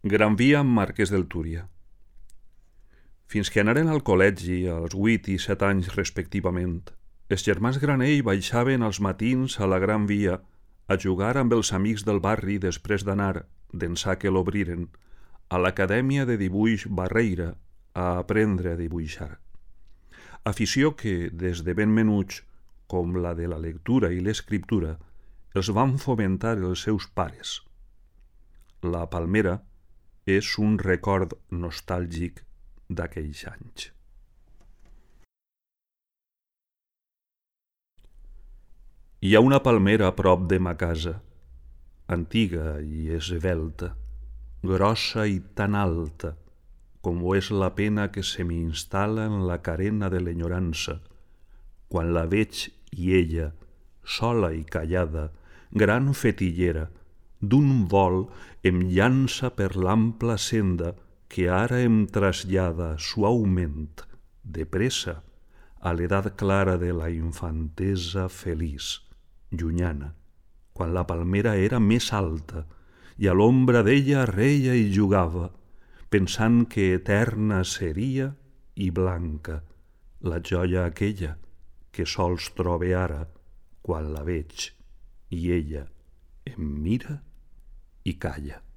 Gran Via amb Marquès del Túria. Fins que anaren al col·legi als 8 i 7 anys respectivament, els germans Granell baixaven als matins a la Gran Via a jugar amb els amics del barri després d'anar, d'ençà que l'obriren, a l'Acadèmia de Dibuix Barreira a aprendre a dibuixar. Afició que, des de ben menuts, com la de la lectura i l'escriptura, els van fomentar els seus pares. La palmera és un record nostàlgic d'aquells anys. Hi ha una palmera a prop de ma casa, antiga i esvelta, grossa i tan alta com ho és la pena que se m'instal·la en la carena de l'enyorança, quan la veig i ella, sola i callada, gran fetillera, d'un vol em llança per l'ampla senda que ara em trasllada suaument, de pressa, a l'edat clara de la infantesa feliç, llunyana, quan la palmera era més alta i a l'ombra d'ella reia i jugava, pensant que eterna seria i blanca la joia aquella que sols trobe ara quan la veig i ella em mira i calla.